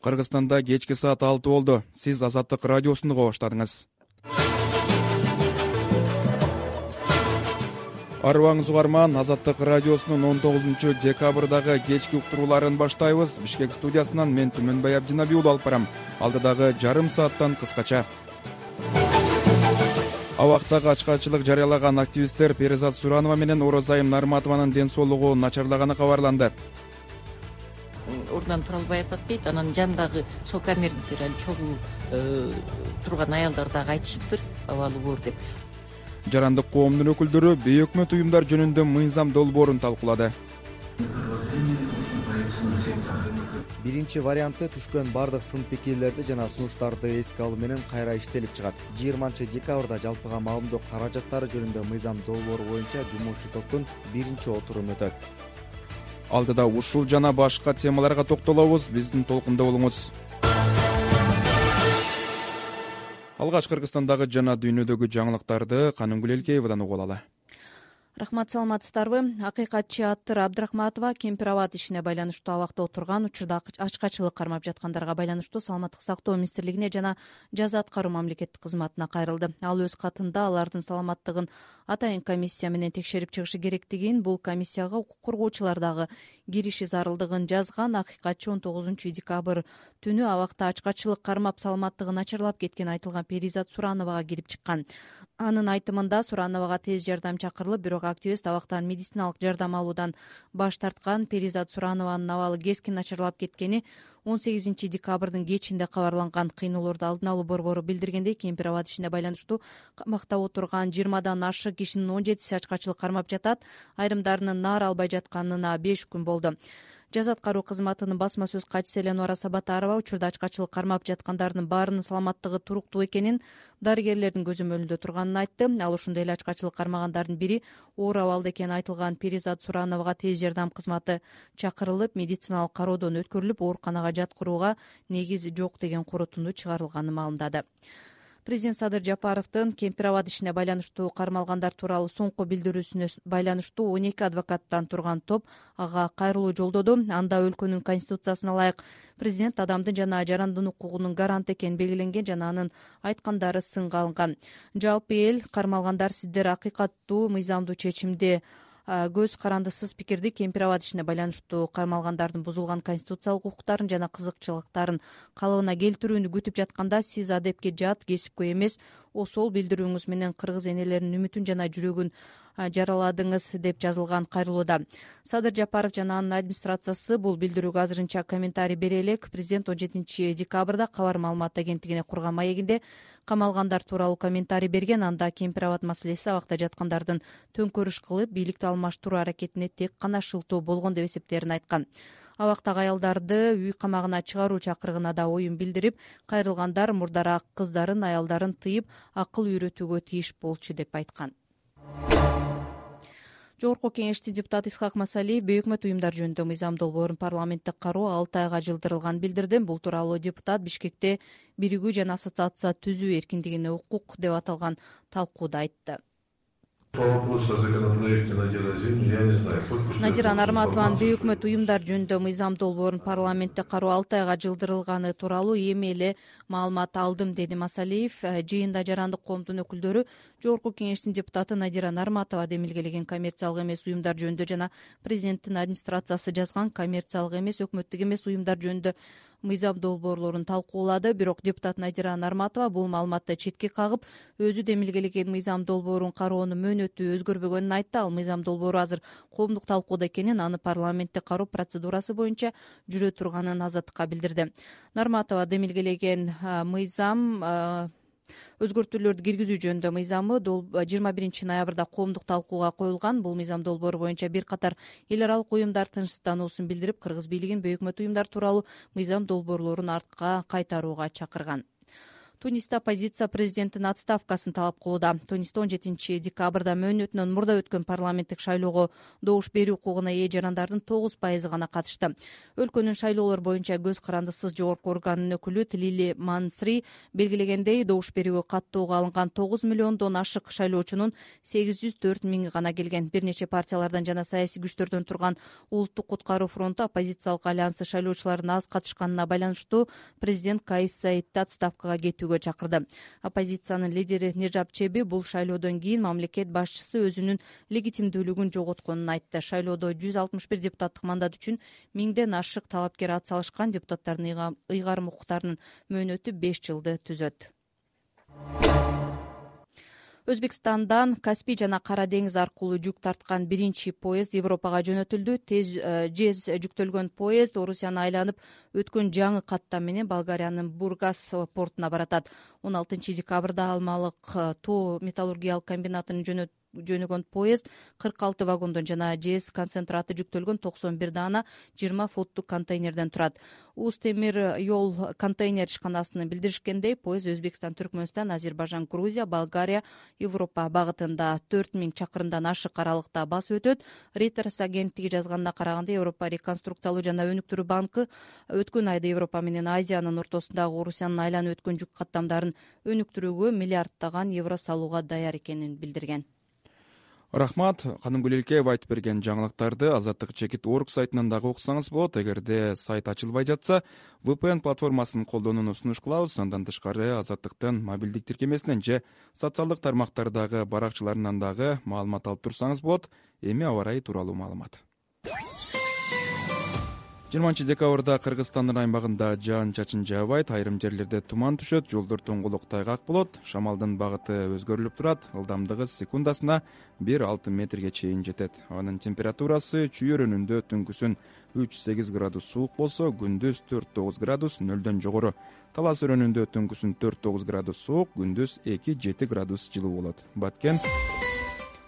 Кыргызстанда кечки саат 6 болду. Сиз Азаттык радиосун угуп баштадыңыз. Арыбаңыз угарман, Азаттык радиосунун 19-декабрдагы кечки уктурууларын баштайбыз. Бишкек студиясынан мен Түмөнбай Абдинабий уулу алып барам. Алдыдагы жарым сааттан кыскача. Абактагы ачкачылык жарыялаган активисттер Перизат Суранова менен Орозайым Нарматованын ден соолугу начарлаганы кабарланды. Ордунан тура албай атат дейт. Анан жандагы сокамердиктер чогуу турган аялдар дагы айтышыптыр, абалы боор деп. Жарандык коомдун өкүлдөрү бейөкмөт уюмдар жөнүндө мыйзам долбоорун талкуулады. Биринчи варианты түшкөн бардык сын пикирлерди жана сунуштарды эске алуу менен кайра иштелип чыгат. 20-декабрда жалпыга маалымдоо каражаттары жөнүндө мыйзам долбоору боюнча жумуш топтун биринчи отуруму өтөт. Алдыда ушул жана башка темаларга токтолобуз. Биздин толкунда болуңуз. Алгач Кыргызстандагы жана дүйнөдөгү жаңылыктарды Канымгүл Элкеевадан угуп алалы. Рахмат, саламатсыздарбы? Акыйкатчы Аттыр Абдрахматова Кемпир абад ишине байланыштуу абакта отурган учурда ачкачылык кармап жаткандарга байланыштуу Саламаттык сактоо министрлигине жана жаза аткаруу мамлекеттик кызматына кайрылды. Ал өз катында алардын саламаттыгын атайын комиссия менен текшерип чыгышы керектигин, бул комиссияга укук коргоочулар дагы кириши зарылдыгын жазган. Акыйкатчы 19-декабрь түнү абакта ачкачылык кармап саламаттыгы начарлап кеткен айтылган Перизат Сурановага кирип чыккан. Анын айтымында Сурановага тез жардам чакырылып, бирок активист абактан медициналык жардам алуудан баш тарткан. Перизат Суранованын абалы кескин начарлап кеткени 18-декабрдын кечинде кабарланган. Кыйноолорду алдын алуу борбору билдиргендей, Кемпир абад ишине байланыштуу камакта отурган 20дан ашык кишинин 17си ачкачылык кармап жатат. Айрымдарынын наар албай жатканына 5 күн болду. Жаза аткаруу кызматынын басма сөз катчысы Эленора Сабатарова учурда ачкачылык кармап жаткандардын баарынын саламаттыгы туруктуу экенин, дарыгерлердин көзөмөлүндө турганын айтты. Ал ошондой эле ачкачылык кармагандардын бири оор абалда экени айтылган Перизат Сурановага тез жардам кызматы чакырылып, медициналык кароодон өткөрүлүп, ооруканага жаткырууга негиз жок деген корутунду чыгарылганын маалымдады. Президент Садыр Жапаровдун Кемпир абад ишине байланыштуу кармалгандар тууралуу соңку билдирүүсүнө байланыштуу 12 адвокаттан турган топ ага кайрылуу жолдоду. Анда өлкөнүн конституциясына ылайык президент адамдын жана жарандын укугунун гаранты экени белгиленген жана анын айткандары сынга алынган. Жалпы эл кармалгандар сиздер акыйкаттуу, мыйзамдуу чечимди, көз карандысыз пикирди Кемпир абад ишине байланыштуу кармалгандардын бузулган конституциялык укуктарын жана кызыкчылыктарын калыбына келтирүүнү күтүп жатканда, сиз адепке жат, кесипкөй эмес осол билдирүүңүз менен кыргыз энелеринин үмүтүн жана жүрөгүн жараладыңыз деп жазылган кайрылууда. Садыр Жапаров жана анын администрациясы бул билдирүүгө азырынча комментарий бере элек. Президент 17-декабрда Кабар маалымат агенттигине курган маегинде камалгандар тууралуу комментарий берген. Анда Кемпир абад маселеси абакта жаткандардын төңкөрүш кылып, бийликти алмаштыруу аракетине тек гана шылтоо болгон деп эсептерин айткан. Абактагы аялдарды үй камагына чыгаруу чакырыгына да оюн билдирип, кайрылгандар мурдараак кыздарын, аялдарын тыйып, акыл үйрөтүүгө тийиш болчу деп айткан. Жогорку кеңештин депутаты Исхак Масалиев бейөкмөт уюмдар жөнүндө мыйзам долбоорун парламенттик кароо 6 айга жылдырылганын билдирди. Бул тууралуу депутат Бишкекте биригүү жана ассоциация түзүү эркиндигине укук деп аталган талкууда айтты. Надира Нарматованын бейөкмөт уюмдар жөнүндө мыйзам долбоорун парламентте кароо 6 айга жылдырылганы тууралуу эми эле маалымат алдым, деди Масалиев. Жыйында жарандык коомдун өкүлдөрү Жогорку кеңештин депутаты Надира Нарматова демилгелеген коммерциялык эмес уюмдар жөнүндө жана президенттин администрациясы жазган коммерциялык эмес, өкмөттүк эмес уюмдар жөнүндө мыйзам долбоорлорун талкуулады. Бирок депутат Надира Нарматова бул маалыматты четке кагып, өзү демилгелеген мыйзам долбоорун кароонун мөөнөтү өзгөрбөгөнүн айтты. Ал мыйзам долбоору азыр коомдук талкууда экенин, аны парламентте кароо процедурасы боюнча жүрө турганын Азаттыкка билдирди. Нарматова демилгелеген мыйзам өзгөртүүлөрдү киргизүү жөнүндө мыйзамы 21-ноябрда коомдук талкууга коюлган. Бул мыйзам долбоору боюнча бир катар эл аралык уюмдар тынчсыздануусун билдирип, кыргыз бийлигин бейөкмөт уюмдар тууралуу мыйзам долбоорлорун артка кайтарууга чакырган. Тунисте оппозиция президенттин отставкасын талап кылууда. Тунисте 17 декабрда мөөнөтүнөн мурда өткөн парламенттик шайлоого добуш берүү укугуна ээ жарандардын 9% гана катышты. Өлкөнүн шайлоолор боюнча көз карандысыз жогорку органынын өкүлү Тилили Мансри белгилегендей, добуш берүүгө каттоого алынган 9 миллиондон ашык шайлоочунун 804 миңи гана келген. Бир нече партиялардан жана саясий күчтөрдөн турган Улуттук куткаруу фронту оппозициялык альянсы шайлоочулардын аз катышканына байланыштуу президент Каис Саидти отставкага кетүүгө чакырды. Оппозициянын лидери Нежап Чеби бул шайлоодон кийин мамлекет башчысы өзүнүн легитимдүүлүгүн жоготконун айтты. Шайлоодо 161 депутаттык мандат үчүн 1000ден ашык талапкер ат салышкан. Депутаттардын ыйгарым укуктарынын мөөнөтү 5 жылды түзөт. Өзбекстандан Каспий жана Кара деңиз аркылуу жүк тарткан биринчи поезд Европага жөнөтүлдү. Жез жүктөлгөн поезд Орусияны айланып өткөн жаңы каттам менен Болгариянын Бургас портуна баратат. 16 декабрда Алмалык тоо металлургиялык комбинатынын жөнөгөн поезд 46 вагондон жана жез концентраты жүктөлгөн 91 даана 20 футтук контейнерден турат. Уз темир жол контейнер ишканасынын билдиришкендей, поезд Өзбекстан, Түркмөнстан, Азербайжан, Грузия, Болгария, Европа багытында 4000 чакырымдан ашык аралыкта басып өтөт. Reuters агенттиги жазганына караганда, Европа реконструкциялоо жана өнүктүрүү банкы өткөн айда Европа менен Азиянын ортосундагы Орусиянын айланып өткөн жүк каттамдарын өнүктүрүүгө миллиарддаган евро салууга даяр экенин билдирген. Рахмат, Каным Гүлелкеева айтып берген жаңылыктарды Азаттык Чекит.org сайтынан дагы окусаңыз болот. Эгерде сайт ачылбай жатса, VPN платформасын колдонууну сунуш кылабыз. Андан тышкары Азаттыктын мобилдик тиркемесинен же социалдык тармактардагы баракчаларынан дагы маалымат алып турсаңыз болот. Эми аба ырайы тууралуу маалымат. 20 декабрда Кыргызстандын аймагында жаан-чачын жаабайт, айрым жерлерде туман түшөт, жолдор тоңголук тайгак болот. Шамалдын багыты өзгөрүлүп турат, ылдамдыгы секундасына 1-6 метрге чейин жетет. Анын температурасы чүйөрөнүндө түнкүсүн 3-8 градус суук болсо, күндүз 4-9 градус нөлдөн жогору. Талас өрөөнүндө түнкүсүн 4-9 градус суук, күндүз 2-7 градус жылуу болот.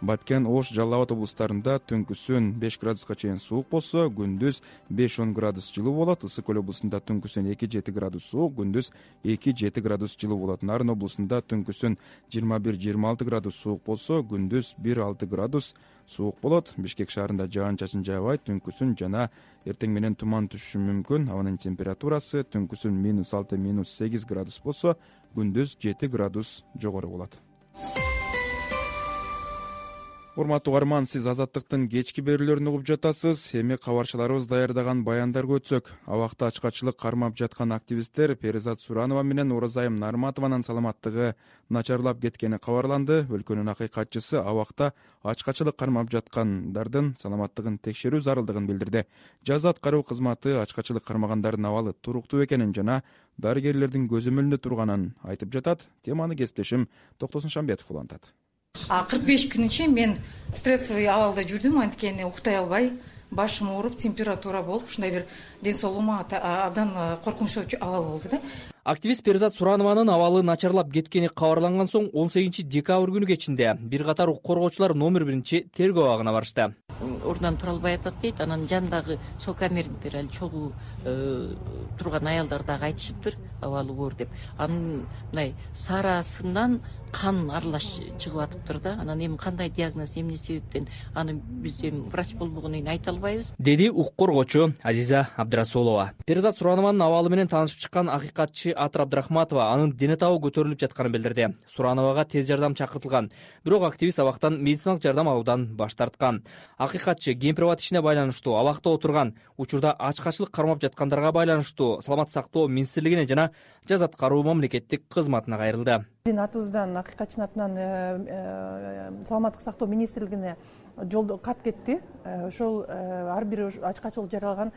Баткен, Ош, Жалал Абад облустарында түнкүсүн 5 градуска чейин суук болсо, күндүз 5-10 градус жылуу болот. Ысык Көл облусунда түнкүсүн 2-7 градус суук, күндүз 2-7 градус жылуу болот. Нарын облусунда түнкүсүн 21-26 градус суук болсо, күндүз 1-6 градус суук болот. Бишкек шаарында жаан-чачын жаабайт, түнкүсүн жана эртең менен туман түшүшү мүмкүн. Абанын температурасы түнкүсүн -6-8 градус болсо, күндүз 7 градус жогору болот. Урматтуу угарман, сиз Азаттыктын кечки берүүлөрүн угуп жатасыз. Эми кабарчыларыбыз даярдаган баяндарга өтсөк. Абакта ачкачылык кармап жаткан активисттер Перизат Суранова менен Оразайым Нарматованын саламаттыгы начарлап кеткени кабарланды. Өлкөнүн акыйкатчысы абакта ачкачылык кармап жаткандардын саламаттыгын текшерүү зарылдыгын билдирди. Жаза аткаруу кызматы ачкачылык кармагандардын абалы туруктуу экенин жана дарыгерлердин көзөмөлүндө турганын айтып жатат. Теманы кесиптешим Токтосун Шамбетов улантат. 45 күн ичинде мен стрессовый абалда жүрдүм, анткени уктай албай, башым ооруп, температура болуп, ушундай бир ден соолугума абдан коркунучтуу абал болду да. Активист Перизат Суранованын абалы начарлап кеткени кабарланган соң 18 декабрь күнү кечинде бир катар укук коргоочулар номер 1 тергөө абагына барышты. Ордунан тура албай атат дейт. Анан жандагы сокамерниктер ал чогуу турган аялдар дагы айтышыптыр, абалы оор деп. Анын мындай сарасынан кан аралаш чыгып атыптыр да. Анан эми кандай диагноз, эмне себептен аны биз эми врач болбогондон кийин айта албайбыз, деди укук коргоочу Азиза Абдрасулова. Перизат Суранованын абалы менен таанышып чыккан акыйкатчы Атыр Абдрахматова анын дене табы көтөрүлүп жатканын билдирди. Сурановага тез жардам чакыртылган, бирок активист абактан медициналык жардам алуудан баш тарткан. Акыйкатчы кемпир-абад ишине байланыштуу абакта отурган учурда ачкачылык кармап жаткандарга байланыштуу Саламаттык сактоо министрлигине жана жаза аткаруу мамлекеттик кызматына кайрылды. Биздин атыбыздан, акыйкатчынын атынан Саламаттык сактоо министрлигине жолдо кат кетти. Ошол ар бир ачкачылык жаралаган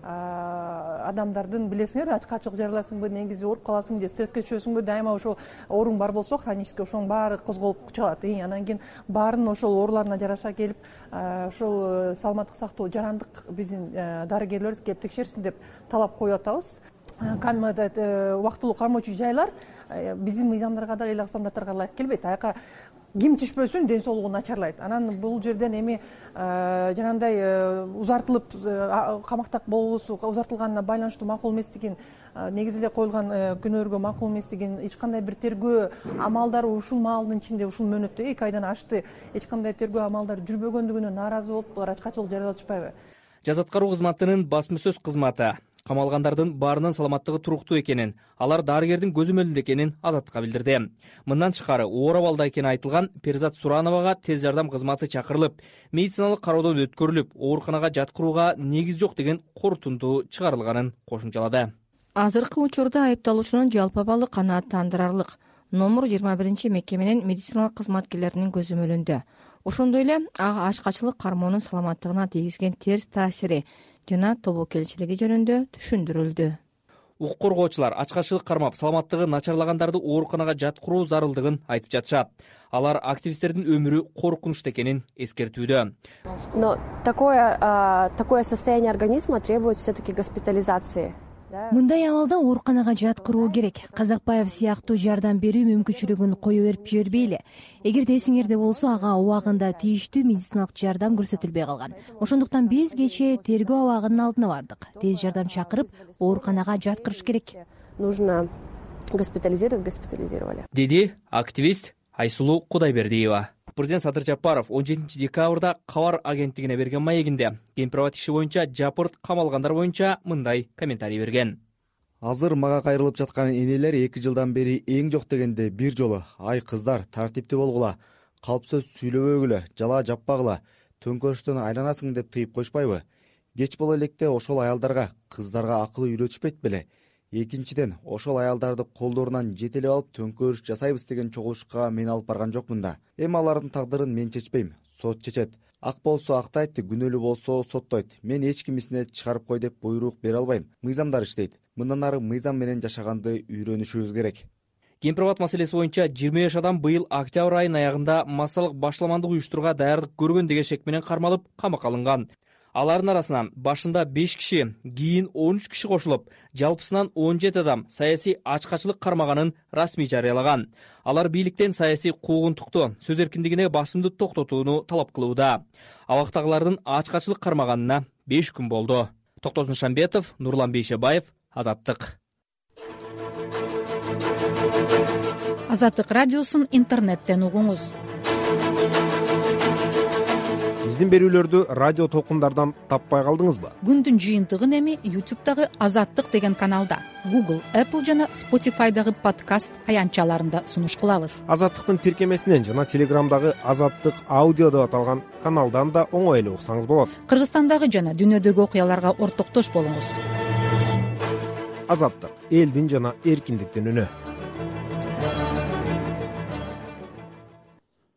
адамдардын, билесиңер, ачкачылык жараласыңбы, негизи ооруп каласыңбы же стресске түшөсүңбү, дайыма ошол ооруң бар болсо, хронический, ошонун баары козголуп чыгат. Анан кийин баарынын ошол ооруларына жараша келип, ошол саламаттык сактоо жарандык биздин дарыгерлерибиз келип текшерсин деп талап коюп атабыз. Убактылуу кармоочу жайлар биздин мыйзамдарга да, элек стандарттарга ылайык келбейт. Аяка ким түшпөсүн ден соолугу начарлайт. Анан бул жерден эми жанагындай узартылып камакта болуусу узартылганына байланыштуу макул эместигин, негизи эле коюлган күнөөлөргө макул эместигин, эч кандай бир тергөө амалдары ушул маалдын ичинде, ушул мөөнөттө 2 айдан ашты эч кандай тергөө амалдары жүрбөгөндүгүнө нааразы болуп булар ачкачылык жарыялатышпайбы? Жаза аткаруу кызматынын басма сөз кызматы камалгандардын баарынын саламаттыгы туруктуу экенин, алар дарыгердин көзөмөлүндө экенин Азаттыкка билдирди. Мындан тышкары оор абалда экени айтылган Перизат Сурановага тез жардам кызматы чакырылып, медициналык кароодон өткөрүлүп, ооруканага жаткырууга негиз жок деген корутунду чыгарылганын кошумчалады. Азыркы учурда айыпталуучунун жалпы абалы канааттандырарлык. Номер 21 мекеменин медициналык кызматкерлеринин көзөмөлүндө. Ошондой эле ага ачкачылык кармоонун саламаттыгына тийгизген терс таасири жана тобокелчилиги жөнүндө түшүндүрүлдү. Укук коргоочулар ачкачылык кармап, саламаттыгы начарлагандарды ооруканага жаткыруу зарылдыгын айтып жатышат. Алар активисттердин өмүрү коркунучта экенин эскертүүдө. Но такое состояние организма требует все-таки госпитализации. Мындай абалда ооруканага жаткыруу керек. Казакбаев сыяктуу жардам берүү мүмкүнчүлүгүн кое берип жибербейли. Эгерде эсиңерде болсо, ага убагында тийиштүү медициналык жардам көрсөтүлбөй калган. Ошондуктан биз кечээ тергөө абагынын алдына бардык. Тез жардам чакырып, ооруканага жаткырыш керек. Нужно госпитализировали. Деди активист Айсулуу Кудайбердиева. Президент Садыр Жапаров 17 декабрда Кабар агенттигине берген маегинде Кемпирабад иши боюнча жапырт камалгандар боюнча мындай комментарий берген. Азыр мага кайрылып жаткан энелер 2 жылдан бери эң жок дегенде бир жолу: ай кыздар, тартиптүү болгула, калп сөз сүйлөбөгүлө, жала жаппагыла, төңкөрүштөн айланасың деп тыйып койшпайбы? Кеч боло электе ошол аялдарга, кыздарга акыл үйрөтүшпөйт беле? Экинчиден, ошол аялдарды колдорунан жетелеп алып төңкөрүш жасайбыз деген чогулушка мен алып барган жокмун да. Эми алардын тагдырын мен чечпейм, сот чечет. Ак болсо актайт, күнөөлүү болсо соттойт. Мен эч кимисине чыгарып кой деп буйрук бере албайм. Мыйзамдар иштейт. Мындан ары мыйзам менен жашаганды үйрөнүшүбүз керек. Кемпирабад маселеси боюнча 25 адам быйыл октябрь айынын аягында массалык башламандык уюштурууга даярдык көргөн деген шек менен кармалып, камакка алынган. Алардын арасынан башында 5 киши, кийин 13 киши кошулуп, жалпысынан 17 адам саясий ачкачылык кармаганын расмий жарыялаган. Алар бийликтен саясий куугунтукту, сөз эркиндигине басымды токтотууну талап кылууда. Абактагылардын ачкачылык кармаганына 5 күн болду. Токтосун Шамбетов, Нурлан Бейшебаев, Азаттык. Азаттык радиосун интернеттен угуңуз. Биздин берүүлөрдү радио толкундардан таппай калдыңызбы? Күндүн жыйынтыгын эми YouTube'дагы Азаттык деген каналда, Google, Apple жана Spotify'дагы подкаст аянтчаларында сунуш кылабыз. Азаттыктын тиркемесинен жана Телеграмдагы Азаттык аудио деп аталган каналдан да оңой эле уксаңыз болот. Кыргызстандагы жана дүйнөдөгү окуяларга ортоктош болуңуз. Азаттык — элдин жана эркиндиктин үнү.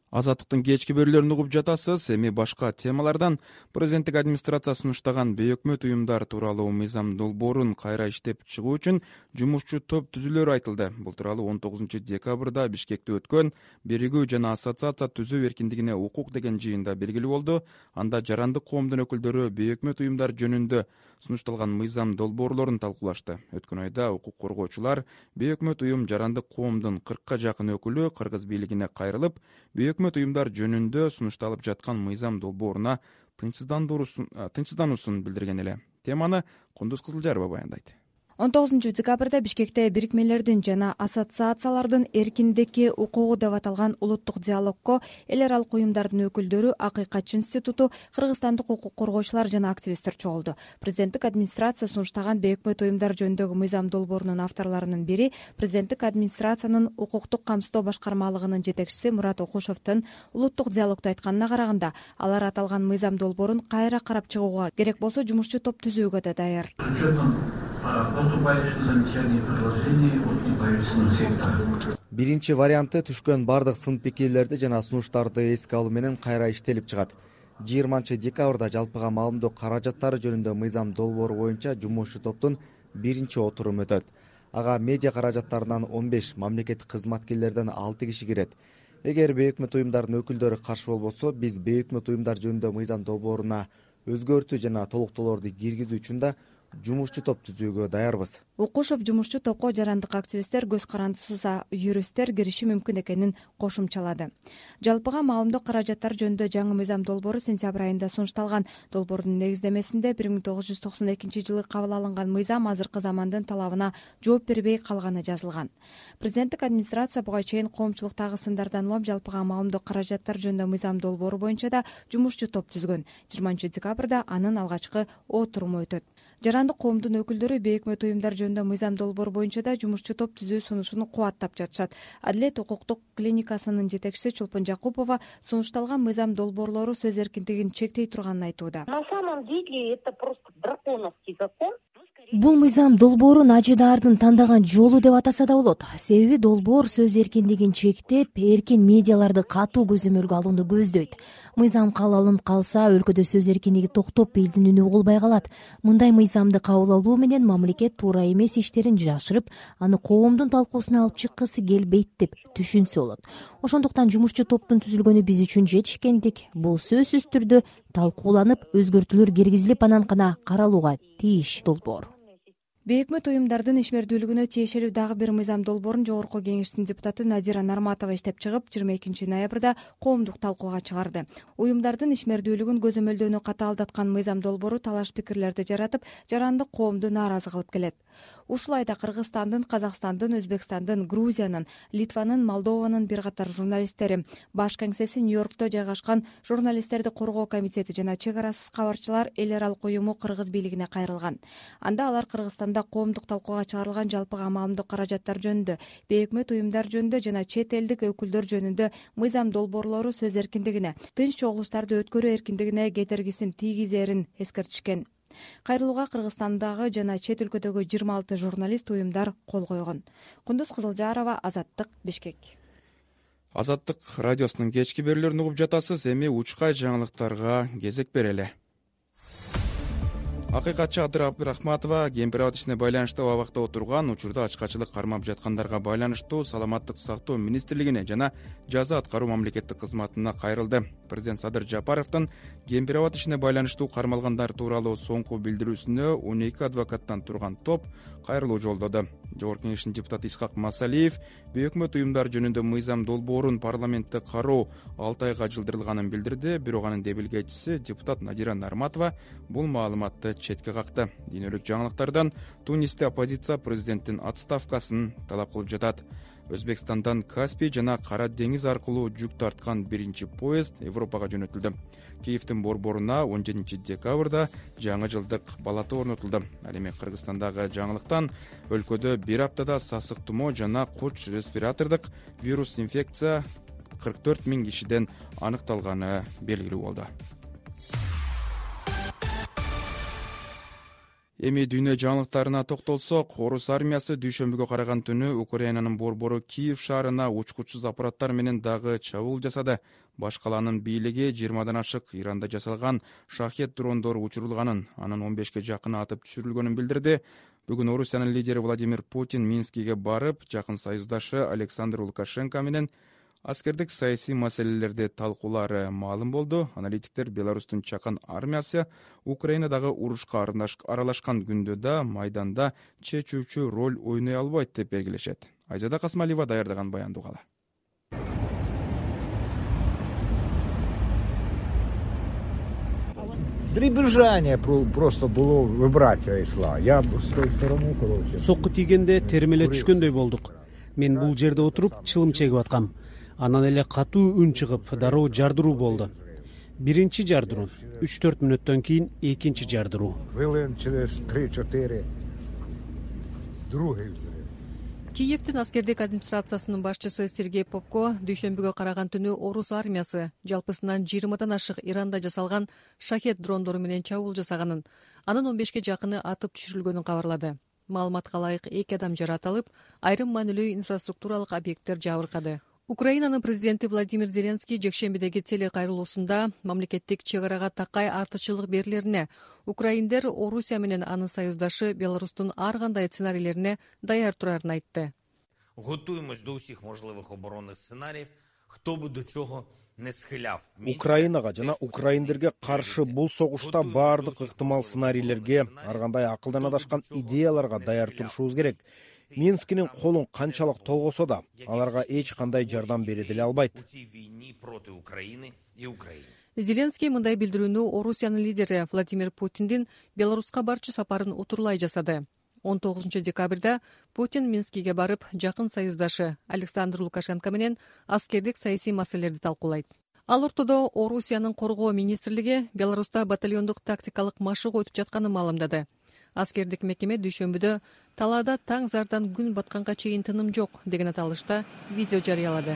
Азаттыктын кечки берүүлөрүн угуп жатасыз. Эми башка темалардан президенттик администрация сунуштаган бейөкмөт уюмдар тууралуу мыйзам долбоорун кайра иштеп чыгуу үчүн жумушчу топ түзүлөрү айтылды. Бул тууралуу 19 декабрда Бишкекте өткөн биригүү жана ассоциация түзүү эркиндигине укук деген жыйында белгилүү болду. Анда жарандык коомдун өкүлдөрү бейөкмөт уюмдар жөнүндө сунушталган мыйзам долбоорлорун талкуулашты. Өткөн айда укук коргоочулар бейөкмөт уюм жарандык коомдун 40 жакын өкүлү кыргыз бийлигине кайрылып, бейөкмөт уюмдар жөнүндө сунушталып жаткан мыйзам долбооруна тынчсыздануусун билдирген эле. Теманы Кундуз Кызылжарова баяндайт. 19 декабрда Бишкекте бирикмелердин жана ассоциациялардын эркиндикки укугу деп аталган улуттук диалогко эл аралык уюмдардын өкүлдөрү, Акыйкатчы институту, кыргызстандык укук коргоочулар жана активисттер чогулду. Президенттик администрация сунуштаган бейөкмөт уюмдар жөнүндөгү мыйзам долбоорунун авторлорунун бири президенттик администрациянын укуктук камсыздоо башкармалыгынын жетекчиси Мурат Окушевдин улуттук диалогдо айтканына караганда, алар аталган мыйзам долбоорун кайра карап чыгууга, керек болсо жумушчу топ түзүүгө да даяр. Биринчи варианты түшкөн бардык сын пикирлерди жана сунуштарды эске алуу менен кайра иштелип чыгат. 20 декабрда жалпыга маалымдоо каражаттары жөнүндө мыйзам долбоору боюнча жумушчу топтун биринчи отуруму өтөт. Ага медиа каражаттарынан 15, мамлекеттик кызматкерлерден 6 киши кирет. Эгер бейөкмөт уюмдардын өкүлдөрү каршы болбосо, биз бейөкмөт уюмдар жөнүндө мыйзам долбооруна өзгөртүү жана толуктоолорду киргизүү үчүн да жумушчу топ түзүүгө даярбыз. Укушев жумушчу топко жарандык активисттер, көз карандысыз юристтер кириши мүмкүн экенин кошумчалады. Жалпыга маалымдоо каражаттары жөнүндө жаңы мыйзам долбоору сентябрь айында сунушталган. Долбоордун негиздемесинде 1992 жылы кабыл алынган мыйзам азыркы замандын талабына жооп бербей калганы жазылган. Президенттик администрация буга чейин коомчулуктагы сындардан улам жалпыга маалымдоо каражаттары жөнүндө мыйзам долбоору боюнча да жумушчу топ түзгөн. 20-декабрда анын алгачкы отуруму өтөт. Жарандык коомдун өкүлдөрү бейөкмөт уюмдар жөнүндө мыйзам долбоору боюнча да жумушчу топ түзүү сунушун кубаттап жатышат. Адилет укуктук клиникасынын жетекчиси Чолпон Жакупова сунушталган мыйзам долбоорлору сөз эркиндигин чектей турганын айтууда. На самом деле это просто драконовский закон. Бул мыйзам долбоорун ажыдаардын тандаган жолу деп атаса да болот. Себеби долбоор сөз эркиндигин чектеп, эркин медиаларды катуу көзөмөлгө алууну көздөйт. Мыйзам кабыл алынып калса, өлкөдө сөз эркиндиги токтоп, элдин үнү угулбай калат. Мындай мыйзамды кабыл алуу менен мамлекет туура эмес иштерин жашырып, аны коомдун талкуусуна алып чыккысы келбейт деп түшүнсө болот. Ошондуктан жумушчу топтун түзүлгөнү биз үчүн жетишкендик. Бул сөзсүз түрдө талкууланып, өзгөртүүлөр киргизилип, анан гана каралууга тийиш долбоор. Бейөкмөт уюмдардын ишмердүүлүгүнө тиешелүү дагы бир мыйзам долбоорун Жогорку Кеңештин депутаты Надира Нарматова иштеп чыгып, 22 ноябрда коомдук талкууга чыгарды. Уюмдардын ишмердүүлүгүн көзөмөлдөөнү катаалдаткан мыйзам долбоору талаш пикирлерди жаратып, жарандык коомду нааразы кылып келет. Ушул айда Кыргызстандын, Казакстандын, Өзбекстандын, Грузиянын, Литванын, Молдованын бир катар журналисттери, баш кеңсеси Нью-Йоркто жайгашкан журналисттерди коргоо комитети жана чек арасыз кабарчылар эл аралык уюму Кыргыз бийлигине кайрылган. Анда алар Кыргызстанда коомдук талкууга чыгарылган жалпыга маалымдоо каражаттары жөнүндө, бейөкмөт уюмдар жөнүндө жана чет элдик өкүлдөр жөнүндө мыйзам долбоорлору сөз эркиндигине, тынч чогулуштарды өткөрүү эркиндигине кетергисин тийгизерин эскертишкен. Кайрылууга Кыргызстандагы жана чет өлкөдөгү 26 журналист уюмдар кол койгон. Кундуз Кызылжарова, Азаттык, Бишкек. Азаттык радиосунун кечки берүүлөрүн угуп жатасыз. Эми учкай жаңылыктарга кезек берели. Акыйкатчы Адыр Абдрахматова Кемпирабад ишине байланыштуу абакта отурган, учурда ачкачылык кармап жаткандарга байланыштуу Саламаттык сактоо министрлигине жана жаза аткаруу мамлекеттик кызматына кайрылды. Президент Садыр Жапаровдун Кемпирабад ишине байланыштуу кармалгандар тууралуу соңку билдирүүсүнө 12 адвокаттан турган топ кайрылуу жолдоду. Жогорку Кеңештин депутаты Исхак Масалиев бейөкмөт уюмдар жөнүндө мыйзам долбоорун парламентте кароо 6 айга жылдырылганын билдирди. Бирок анын дебилгечиси депутат Надира Нарматова бул маалыматты четке какты. Дүйнөлүк жаңылыктардан Тунисте оппозиция президенттин отставкасын талап кылып жатат. Өзбекстандан Каспий жана Кара деңиз аркылуу жүк тарткан биринчи поезд Европага жөнөтүлдү. Киевдин борборуна 17-декабрда жаңы жылдык балата орнотулду. Ал эми Кыргызстандагы жаңылыктан өлкөдө бир аптада сасык тумоо жана куч респиратордук вирус инфекция 44 000 кишиден аныкталганы белгилүү болду. Эми дүйнө жаңылыктарына токтолсок, орус армиясы дүйшөмбүгө караган түнү Украинанын борбору Киев шаарына учкучсуз аппараттар менен дагы чабуул жасады. Баш калаанын бийлиги 20дан ашык Иранда жасалган шахет дрондору учурулганын, анын 15ке жакыны атып түшүрүлгөнүн билдирди. Бүгүн Орусиянын лидери Владимир Путин Минскиге барып, жакын союздашы Александр Лукашенко менен аскердик саясий маселелерди талкуулары маалым болду. Аналитиктер Беларустун чакан армиясы Украинадагы урушка аралашкан күндө да майданда чечүүчү роль ойной албайт деп белгилешет. Айзада Касмалиева даярдаган баянды угалы. Дребезжание просто было, вибрация шла. Я с той стороны, короче. Сокку тийгенде термеле түшкөндөй болдук. Мен бул жерде отуруп чылым чегип аткам. Анан эле катуу үн чыгып, дароо жардыруу болду. Биринчи жардыруу, 3-4 мүнөттөн кийин экинчи жардыруу. Хвилин через 3-4 другой взрыв. Киевдин аскердик администрациясынын башчысы Сергей Попко дүйшөмбүгө караган түнү орус армиясы жалпысынан 20дан ашык Иранда жасалган шахет дрондору менен чабуул жасаганын, анын 15ке жакыны атып түшүрүлгөнүн кабарлады. Маалыматка ылайык 2 адам жаратылып, айрым маанилүү инфраструктуралык объекттер жабыркады. Украинанын президенти Владимир Зеленский жекшембидеги телекайрылуусунда мамлекеттик чек арага такай артыкчылык берилерине, украиндер Орусия менен анын союздашы Беларустун ар кандай сценарийлерине даяр турарын айтты. Готуємось до усіх можливих оборонних сценаріїв, хто би до чого Украинага жана украиндерге каршы бул согушта баардык ыктымал сценарийлерге, ар кандай акылдан адашкан идеяларга даяр турушубуз керек. Минскинин колун канчалык толгосо да, аларга эч кандай жардам бере деле албайт. Зеленский мындай билдирүүнү Орусиянын лидери Владимир Путиндин Беларуска барчу сапарын утурлай жасады. 19 декабрда Путин Минскиге барып, жакын союздашы Александр Лукашенко менен аскердик саясий маселелерди талкуулайт. Ал ортодо Орусиянын коргоо министрлиги Беларуста батальондук тактикалык машыгуу өтүп жатканын маалымдады. Аскердик мекеме дүйшөмбүдө талаада таң зардан күн батканга чейин тыным жок деген аталышта видео жарыялады.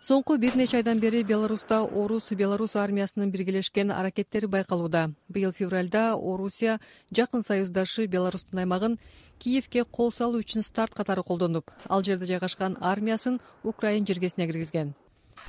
Соңку бир нече айдан бери Беларуста Орус-Беларус армиясынын биргелешкен аракеттери байкалууда. Быйыл февралда Орусия жакын союздашы Беларустун аймагын Киевке кол салуу үчүн старт катары колдонуп, ал жерде жайгашкан армиясын Украин жергесине киргизген.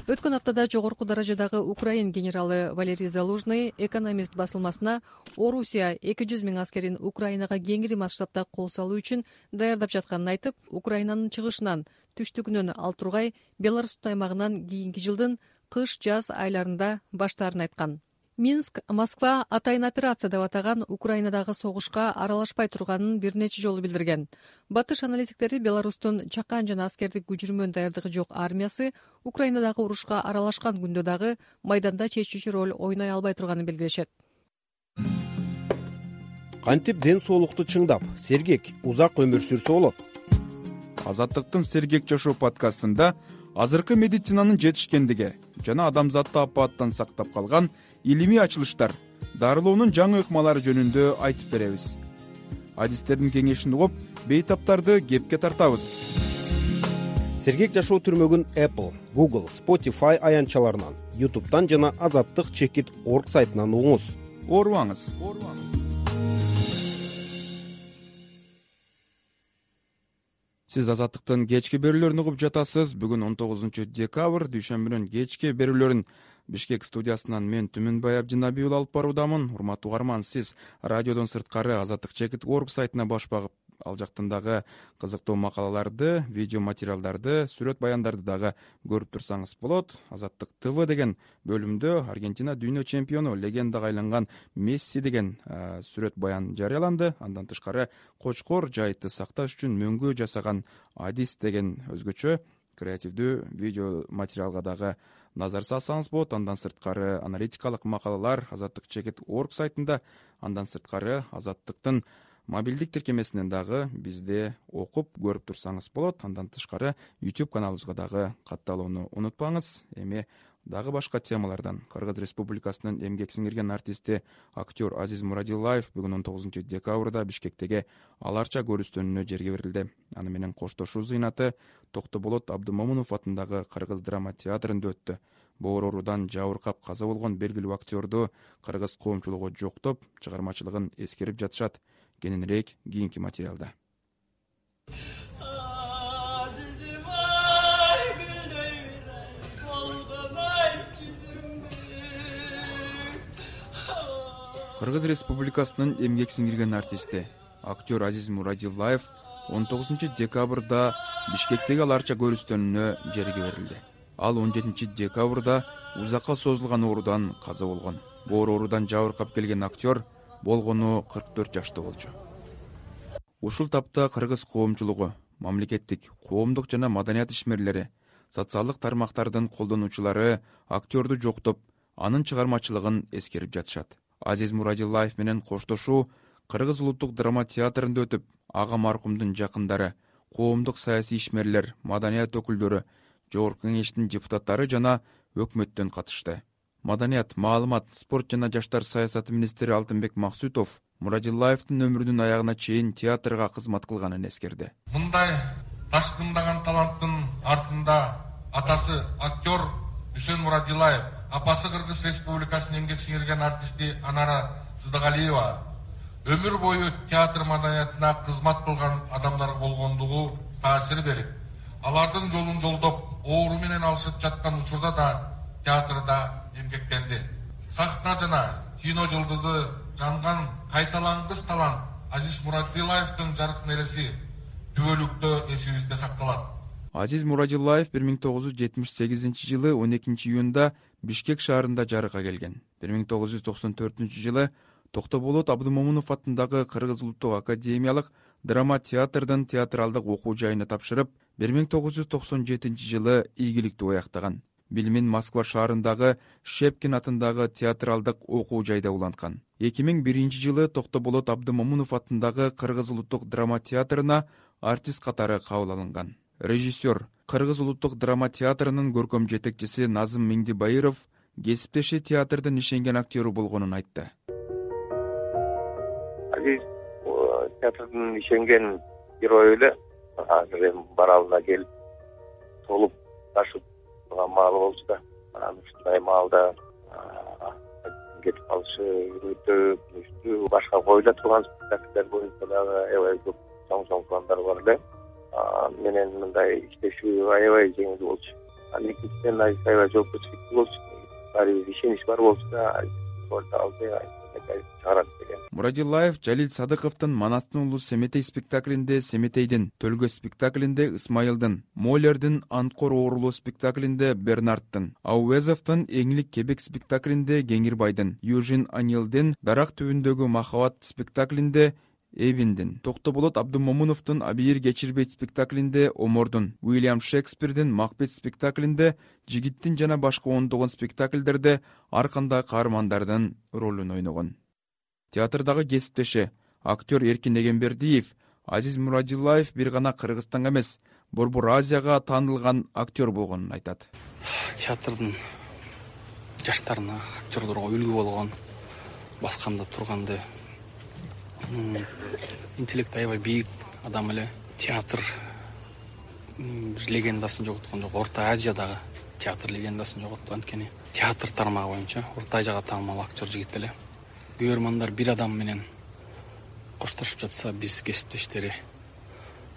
Өткөн аптада жогорку даражадагы Украин генералы Валерий Залужный «Экономист» басылмасына Орусия 200 000 аскерин Украинага кеңири масштабда кол салуу үчүн даярдап жатканын айтып, Украинанын чыгышынан, түштүгүнөн ал тургай Беларустун аймагынан кийинки жылдын кыш-жаз айларында баштаарын айткан. Минск, Москва атайын операция деп атаган Украинадагы согушка аралашпай турганын бир нече жолу билдирген. Батыш аналитиктери Беларустун чакан жана аскердик күчүрмөн даярдыгы жок армиясы Украинадагы урушка аралашкан күндө дагы майданда чечүүчү роль ойной албай турганын белгилешет. Кантип ден соолукту чыңдап, сергек, узак өмүр сүрсө болот? Азаттыктын Сергек жашоо подкастында азыркы медицинанын жетишкендиги жана адамзатты апааттан сактап калган илимий ачылыштар, дарылоонун жаңы ыкмалары жөнүндө айтып беребиз. Адистердин кеңешин угуп, бейтаптарды кепке тартабыз. Сергек жашоо түрмөгүн Apple, Google, Spotify аянтчаларынан, YouTube'дан жана azattik.org сайтынан угуңуз. Оорубаңыз. Сиз Азаттыктын кечки берүүлөрүн угуп жатасыз. Бүгүн 19 декабрь дүйшөмбүнүн кечки берүүлөрүн Бишкек студиясынан мен Түмүнбай Абдинабий алып баруудамын. Урматтуу угарман, сиз радиодон сырткары azattik.org сайтына баш багып, ал жактан дагы кызыктуу макалаларды, видео материалдарды, сүрөт баяндарды дагы көрүп турсаңыз болот. Азаттык ТВ деген бөлүмдө Аргентина дүйнө чемпиону, легендага айланган Месси деген сүрөт баян жарыяланды. Андан тышкары Кочкор жайытты сакташ үчүн мөңгү жасаган Адис деген өзгөчө креативдүү видео материалга дагы назар салсаңыз болот. Андан сырткары аналитикалык макалалар azattik.org сайтында, андан сырткары Азаттыктын мобилдик тиркемесинен дагы бизде окуп көрүп турсаңыз болот. Андан тышкары YouTube каналыбызга дагы катталууну унутпаңыз. Эми дагы башка темалардан Кыргыз Республикасынын эмгек сиңирген артисти, актер Азиз Мурадилаев бүгүн 19 декабрда Бишкектеги аларча көрүстөнүнө жерге берилди. Аны менен коштошуу зыйнаты Токтоболот Абдымомунов атындагы Кыргыз драма театрында өттү. Боор оорудан жабыркап каза болгон белгилүү актерду кыргыз коомчулугу жоктоп, чыгармачылыгын эскерип жатышат. Кененирээк кийинки материалда. Кыргыз Республикасынын эмгек сиңирген артисти, актер Азиз Мурадилаев 19 декабрда Бишкектеги аларча көрүстөнүнө жерге берилди. Ал 17 декабрда узакка созулган оорудан каза болгон. Боор оорудан жабыркап келген актер болгону 44 жашта болчу. Ушул тапта кыргыз коомчулугу, мамлекеттик, коомдук жана маданият ишмерлери, социалдык тармактардын колдонуучулары актерду жоктоп, анын чыгармачылыгын эскерип жатышат. Азиз Мурадилаев менен коштошуу Кыргыз улуттук драма театрында өтүп, ага маркумдун жакындары, коомдук саясий ишмерлер, маданият өкүлдөрү, жогорку кеңештин депутаттары жана өкмөттөн катышты. Маданият, маалымат, спорт жана жаштар саясаты министри Алтынбек Максутов Мурадилаевдин өмүрүнүн аягына чейин театрга кызмат кылганын эскерди. Мындай ташкындаган таланттын артында атасы актер Үсөн Мурадилаев, апасы Кыргыз Республикасынын эмгек сиңирген артисти Анара Сыдыгалиева өмүр бою театр маданиятына кызмат кылган адамдар болгондугу таасир берип, алардын жолун жолдоп, оору менен алышып жаткан учурда да театрда эмгектенди. Сахна жана кино жылдызы жанган кайталангыс талант Азиз Мурадилаевдин жаркын эреси түбөлүктө эсибизде сакталат. Азиз Мурадилаев 1978 жылы 12 июнда Бишкек шаарында жарыкка келген. 1994 жылы Токтоболот Абдымомунов атындагы Кыргыз улуттук академиялык драма театрдын театралдык окуу жайына тапшырып, 1997 жылы ийгиликтүү аяктаган. Билимин Москва шаарындагы Шепкин атындагы театралдык окуу жайда уланткан. 2001 жылы Токтоболот Абдымомунов атындагы Кыргыз улуттук драма театрына артист катары кабыл алынган. Режиссер, Кыргыз улуттук драма театрынын көркөм жетекчиси Назым Миңдибайыров кесиптеши театрдын ишенген актеру болгонун айтты. Азиз театрдын ишенген герою эле. Азыр эми баралына келип толуп ташып турган маалы болчу да, ушундай маалда кетип калышы өтө күнүштүү. Башка коюла турган спектакльдер боюнча дагы аябай көп чоң пландар бар эле. Менен мындай иштешүү аябай жеңил болчу. Экинчиден аябай жоопкерчиликтүү болчу. Баарыбыз ишенич бар болчу да, чыгарат деген. Мурадилаев Жалил Садыковдун Манаттын уулу Семетей спектаклинде Семетейдин, Төлгө спектаклинде Исмайылдын, Молердин Анткор оорулоо спектаклинде Бернардтын, Ауезовдун Эңлик Кебек спектаклинде Кеңирбайдын, Южин Анилдин Дарак түбүндөгү Махабат спектаклинде Эвиндин, Токтоболот Абдымомуновдун Абийир Кечирбейт спектаклинде Омордун, Уильям Шекспирдин Макбет спектаклинде Жигиттин жана башка ондогон спектакльдерде ар кандай каармандардын ролун ойногон. Театрдагы кесиптеши актер Эркин Эгембердиев Азиз Мурадилаев бир гана Кыргызстанга эмес, Борбор Азияга таанылган актер болгонун айтат. Театрдын жаштарына, актерлорго үлгү болгон, басканда турганды интеллект аябай бийик адам эле. Театр легендасын жоготкон жок. Орто Азиядагы театр легендасын жоготту. Анткени театр тармагы боюнча Орто Азияга таанымал актер жигит эле. Көрөрмандар бир адам менен коштошуп жатса, биз кесиптештери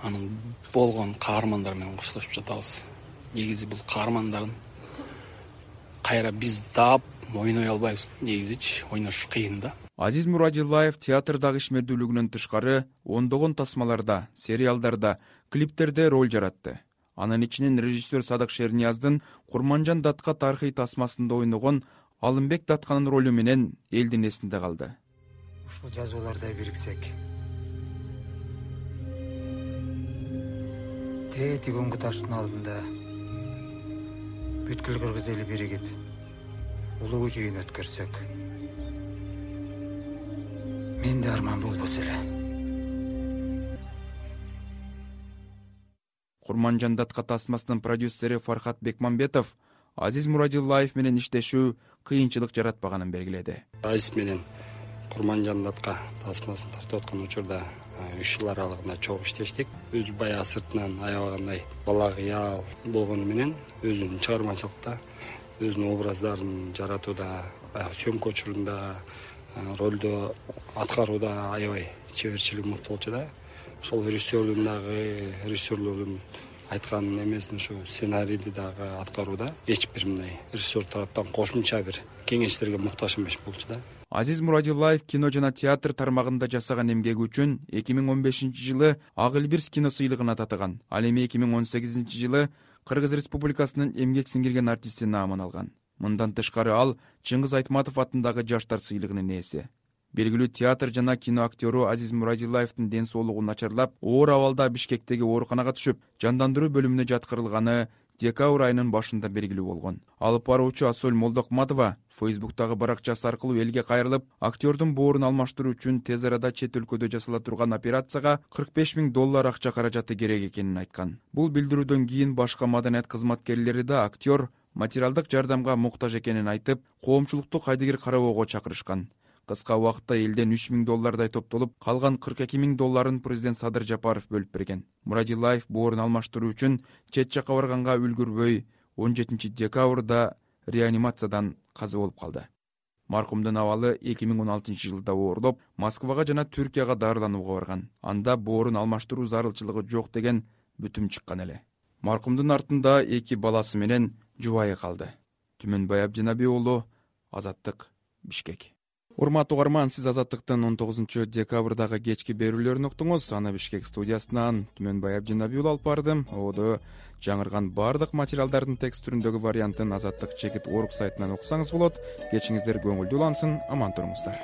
анын болгон каармандар менен коштошуп жатабыз. Негизи бул каармандардын кайра биз дап ойной албайбыз. Негизичи ойнош кыйын да. Азиз Мурадилаев театрдагы ишмердүүлүгүнөн тышкары ондогон тасмаларда, сериалдарда, клиптерде роль жаратты. Анын ичинен режиссер Садык Шернияздын Курманжан Датка тарыхый тасмасында ойногон Алымбек Датканын ролу менен элдин эсинде калды. Ушул жазууларда бириксек, тетигөнгү таштын алдында бүткүл кыргыз эли биригип, улуу жыйын өткөрсөк, менде арман болбосо эле. Курманжан Датка тасмасынын продюсери Фархат Бекмамбетов Азиз Мурадилаев менен иштешүү кыйынчылык жаратпаганын белгиледи. Азиз менен Курманжан Датка тасмасын тартып аткан учурда 3 жыл аралыгында чогуу иштештик. Өзү баягы сыртынан аябагандай бала кыял болгону менен өзүнүн чыгармачылыкта, өзүнүн образдарын жаратууда, съемка учурунда, ролдо аткарууда аябай чеберчилиги мыкты болчу да. Ошол режиссерлордун айткан эмесин ушу сценарийди дагы аткарууда эч бир мындай режиссер тараптан кошумча бир кеңештерге муктаж эмес болчу да. Азиз Мурадилаев кино жана театр тармагында жасаган эмгеги үчүн 2015 жылы Ак Элбирс кино сыйлыгына татыган. Ал эми 2018 жылы Кыргыз Республикасынын эмгек сиңирген артисти наамын алган. Мындан тышкары ал Чыңгыз Айтматов атындагы жаштар сыйлыгынын ээси. Белгилүү театр жана кино актеру Азиз Мурадилаевдин ден соолугу начарлап, оор абалда Бишкектеги ооруканага түшүп, жандандыруу бөлүмүнө жаткырылганы декабрь айынын башында белгилүү болгон. Алып баруучу Асөл Молдокматова Фейсбуктагы баракчасы аркылуу элге кайрылып, актердун боорун алмаштыруу үчүн тез арада чет өлкөдө жасала турган операцияга $45,000 акча каражаты керек экенин айткан. Бул билдирүүдөн кийин башка маданият кызматкерлери да актер материалдык жардамга муктаж экенин айтып, коомчулукту кайдыгер карабоого чакырышкан. Кыска убакытта элден $3,000 топтолуп, калган $42,000 президент Садыр Жапаров бөлүп берген. Мурадилаев боорун алмаштыруу үчүн чет жакка барганга үлгүрбөй 17 декабрда реанимациядан каза болуп калды. Маркумдун абалы 2016 жылда оорлоп, Москвага жана Түркияга дарыланууга барган. Анда боорун алмаштыруу зарылчылыгы жок деген бүтүм чыккан эле. Маркумдун артында 2 баласы менен жубайы калды. Түмөнбай Абдинабий уулу, Азаттык, Бишкек. Урматтуу угарман, сиз Азаттыктын 19 декабрдагы кечки берүүлөрүн уктуңуз. Аны Бишкек студиясынан Түмөнбай Абдинабиул алып бардым. Ободо жаңырган баардык материалдардын текст түрүндөгү вариантын Азаттык чекит орг сайтынан уксаңыз болот. Кечиңиздер көңүлдүү улансын, аман туруңуздар.